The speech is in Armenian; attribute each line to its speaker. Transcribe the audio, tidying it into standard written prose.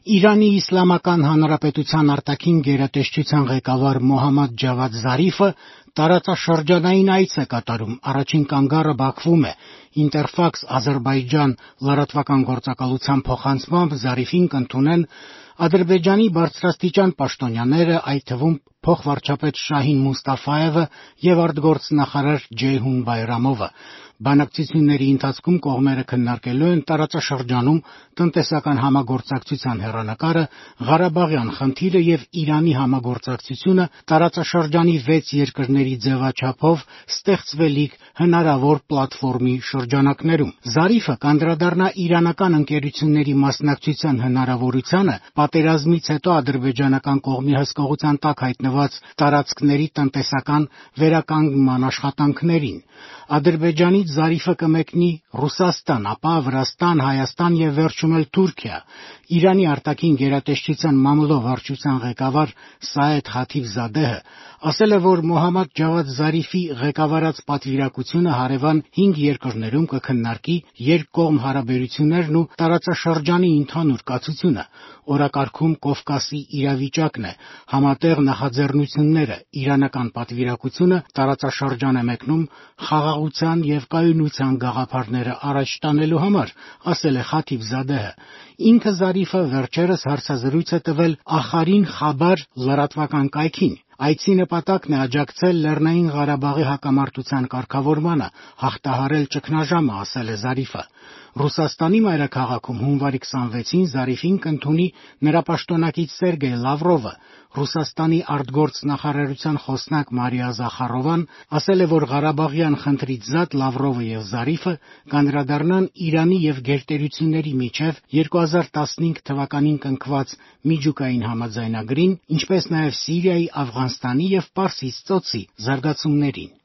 Speaker 1: Իրանի Իսլամական Հանրապետության արտաքին գերատեսչության ղեկավար Մոհամմադ Ջավադ Զարիֆը տարածաշրջանային այց է կատարում, առաջին կանգառը Բաքվում է։ Ինտերֆաքս Ադրբեջան լրատվական գործակալության փոխանցմամբ Զարիֆին կընդունեն Ադրբեջանի բարձրաստիճան պաշտոնյաները, այդ թվում փոխվարչապետ Շահին Մուստաֆայևը եւ արտգործնախարար Ջեյհուն Բայրամովը։ Բանակցությունների ընթացքում կողմերը քննարկելու են տարածաշրջանում տնտեսական համագործակցության հեռանկարը, Ղարաբաղյան խնդիրը եւ Իրանի համագործակցությունը տարածաշրջանի 6 երկրների ձևաչափով ստեղծվելիք հնարավոր պլատֆորմի շրջանակներում։ Զարիֆը կանդրադառնա իրանական ընկերությունների մասնակցության հնարավորությանը պատերազմից հետո ադրբեջանական կողմի հսկողության տակ հայտնված տարածքների տնտեսական վերականգնման աշխատանքներին։ Ադրբեջանից Զարիֆը կմեկնի Ռուսաստան, ապա Վրաստան, Հայաստան եւ վերջում էլ Թուրքիա։ Իրանի արտաքին գերատեսչության մամլո վարչության ղեկավար Սաեդ Խաթիբզադեհը ասել է, որ Մոհամմադ Ջավադ Զարիֆի ղեկավարած պատվիրակությունը հարևան 5 երկրներում կքննարկի երկկողմ հարաբերություններն ու տարածաշրջանի ընդհանուր կացությունը։ Օրակարգում Կովկասի իրավիճակն է, համատեղ նախաձեռնությունները, իրանական պատվիրակությունը տարածաշրջան է մեկնում խաղաղության եւ կայունության գաղափարները առաջ տանելու համար, ասել է Խաթիբզադեհը։ Ինքը Զարիֆը վերջերս հարցազրույց է տվել Ախարին Խաբար լրատվական կայքին։ Այցի նպատակն է աջակցել Լեռնային Ղարաբաղի հակամարտության կարգավորմանը, հաղթահարել ճգնաժամը, ասել է Զարիֆը։ Ռուսաստանի մայրաքաղաքում հունվարի 26-ին Զարիֆին կընդունի նրա պաշտոնակից Սերգեյ Լավրովը։ Ռուսաստանի արտգործնախարարության խոսնակ Մարիա Զախարովան ասել է, որ Ղարաբաղյան խնդրից զատ Լավրովը եւ Զարիֆը կանդրադառնան Իրանի եւ գերտերությունների միջև 2015 թվականին կնքված միջուկային համաձայնագրին, ինչպես նաեւ Սիրիայի, Աֆղանստանի եւ Պարսից ծոցի զարգացումներին։